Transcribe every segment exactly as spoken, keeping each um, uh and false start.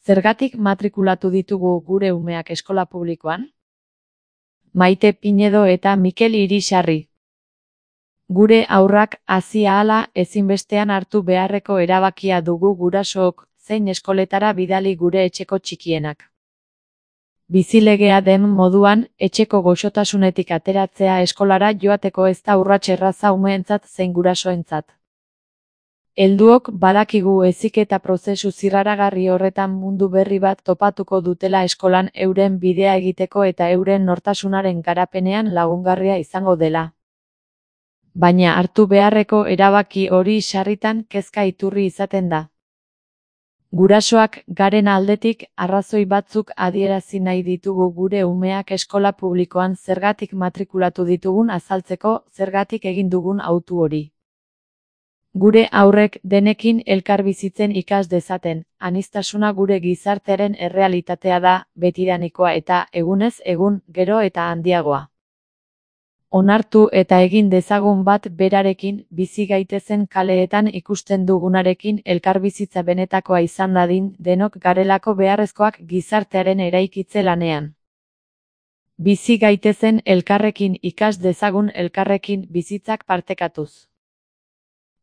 Zergatik matrikulatu ditugu gure umeak eskola publikoan? Maite Pinedo eta Mikel Irisarri. Gure haurrak hazi ahala ezinbestean hartu beharreko erabakia dugu gurasook, zein eskoletara bidali gure etxeko txikienak. Bizilegea den moduan, etxeko goxotasunetik ateratzea eskolara joateko ez da urrats erraza umeentzat zein gurasoentzat. Helduok badakigu heziketa prozesu zirraragarri horretan mundu berri bat topatuko dutela eskolan euren bidea egiteko eta euren nortasunaren garapenean lagungarria izango dela. Baina hartu beharreko erabaki hori sarritan kezka iturri izaten da. Gurasoak garen aldetik arrazoi batzuk adierazi nahi ditugu gure umeak eskola publikoan zergatik matrikulatu ditugun azaltzeko zergatik egin dugun hautu hori. Gure haurrek denekin elkarbizitzen ikas dezaten, aniztasuna gure gizartearen errealitatea da, betidanikoa eta egunez egun gero eta handiagoa. Onartu eta egin dezagun bat berarekin, bizi gaitezen kaleetan ikusten dugunarekin elkarbizitza benetakoa izan dadin, denok garelako beharrezkoak gizartearen eraikitze lanean. Bizi gaitezen elkarrekin ikas dezagun elkarrekin bizitzak partekatuz.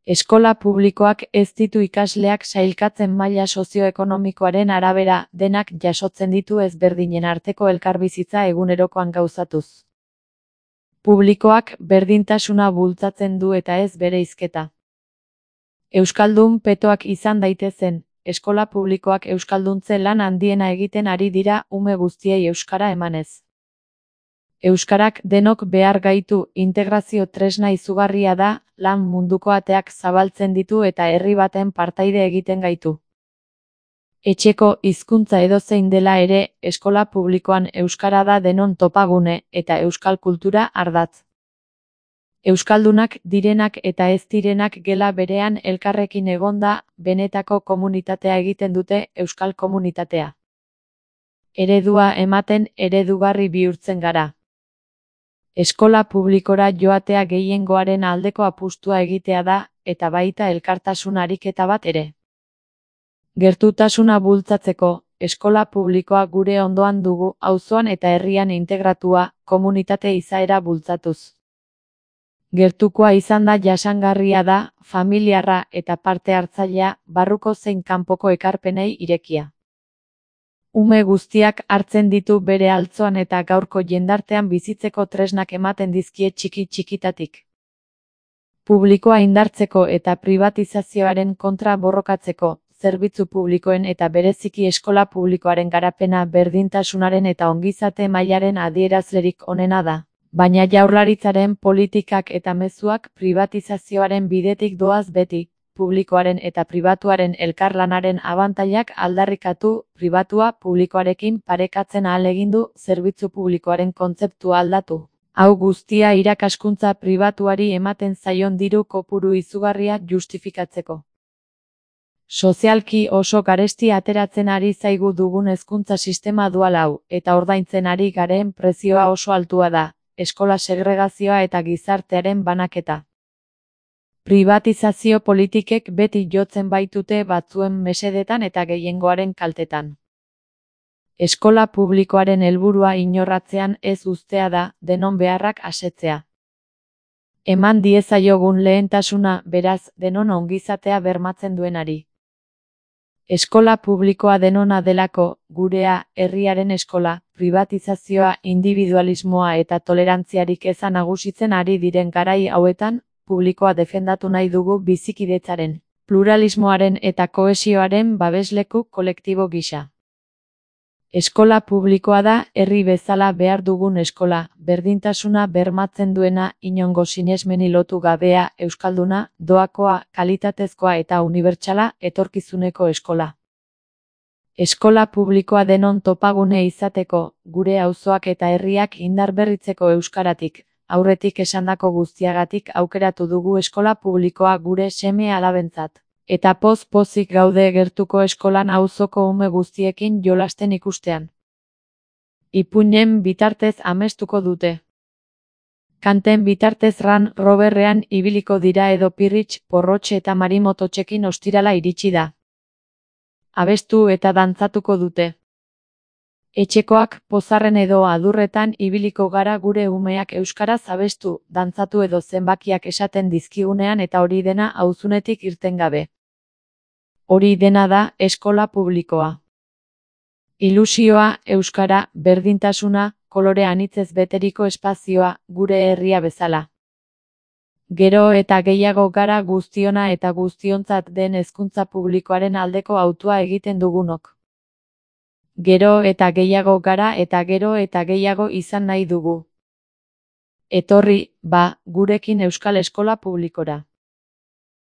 Eskola publikoak ez ditu ikasleak sailkatzen maila sozioekonomikoaren arabera, denak jasotzen ditu ezberdinen arteko elkarbizitza egunerokoan gauzatuz. Publikoak berdintasuna bultzatzen du eta ez bereizketa. Euskaldun petoak izan daitezen, eskola publikoak euskalduntze lan handiena egiten ari dira ume guztiei euskara emanez. Euskarak denok behar gaitu, integrazio tresna izugarria da, lan munduko ateak zabaltzen ditu eta herri baten partaide egiten gaitu. Etxeko hizkuntza edozein dela ere, eskola publikoan euskara da denon topagune eta euskal kultura ardatz. Euskaldunak direnak eta ez direnak gela berean elkarrekin egonda, benetako komunitatea egiten dute euskal komunitatea. Eredua ematen eredugarri bihurtzen gara. Eskola publikora joatea gehiengoaren aldeko apustua egitea da, eta baita elkartasun ariketa bat ere. Gertutasuna bultzatzeko, eskola publikoa gure ondoan dugu, auzoan eta herrian integratua, komunitate izaera bultzatuz. Gertukoa izan da jasangarria da, familiarra eta parte hartzailea, barruko zein kanpoko ekarpenei irekia. Ume guztiak hartzen ditu bere altzoan eta gaurko jendartean bizitzeko tresnak ematen dizkie txiki txikitatik. Publikoa indartzeko eta privatizazioaren kontra borrokatzeko, zerbitzu publikoen eta bereziki eskola publikoaren garapena berdintasunaren eta ongizate mailaren adierazlerik onena da. Baina jaurlaritzaren politikak eta mezuak privatizazioaren bidetik doaz beti, publikoaren eta pribatuaren elkarlanaren abantailak aldarrikatu, pribatua publikoarekin parekatzen ahalegindu, zerbitzu publikoaren kontzeptua aldatu. Hau guztia irakaskuntza pribatuari ematen zaion diru kopuru izugarria justifikatzeko. Sozialki oso garesti ateratzen ari zaigu dugun hezkuntza sistema dual hau, eta ordaintzen ari garen prezioa oso altua da, eskola segregazioa eta gizartearen banaketa. Privatizazio politikek beti jotzen baitute batzuen mesedetan eta gehiengoaren kaltetan. Eskola publikoaren helburua inorratzean ez uztea da, denon beharrak asetzea. Eman diezaiogun lehentasuna, beraz, denon ongizatea bermatzen duenari. Eskola publikoa denona delako, gurea, herriaren eskola, privatizazioa, individualismoa eta tolerantziarik eza nagusitzen ari diren garai hauetan, publikoa defendatu nahi dugu bizikidetzaren, pluralismoaren eta kohesioaren babesleku kolektibo gisa. Eskola publikoa da herri bezala behar dugun eskola, berdintasuna bermatzen duena, inongo sinesmeni lotu gabea, euskalduna, doakoa, kalitatezkoa eta unibertsala, etorkizuneko eskola. Eskola publikoa denon topagune izateko, gure auzoak eta herriak indarberritzeko euskaratik, aurretik esandako guztiagatik aukeratu dugu eskola publikoa gure seme alabentzat. Eta poz-pozik gaude gertuko eskolan auzoko ume guztiekin jolasten ikustean. Ipuinen bitartez amestuko dute. Kanten bitartez ran roberrean ibiliko dira edo pirritx, porrotxe eta marimototxekin ostirala iritsi da. Abestu eta dantzatuko dute. Etxekoak pozarren edo adurretan ibiliko gara gure umeak euskaraz abestu, dantzatu edo zenbakiak esaten dizkigunean eta hori dena auzunetik irten gabe. Hori dena da eskola publikoa. Ilusioa, euskara, berdintasuna, kolore anitzez beteriko espazioa, gure herria bezala. Gero eta gehiago gara guztiona eta guztiontzat den hezkuntza publikoaren aldeko hautua egiten dugunok. Gero eta gehiago gara eta gero eta gehiago izan nahi dugu. Etorri, ba, gurekin euskal eskola publikora.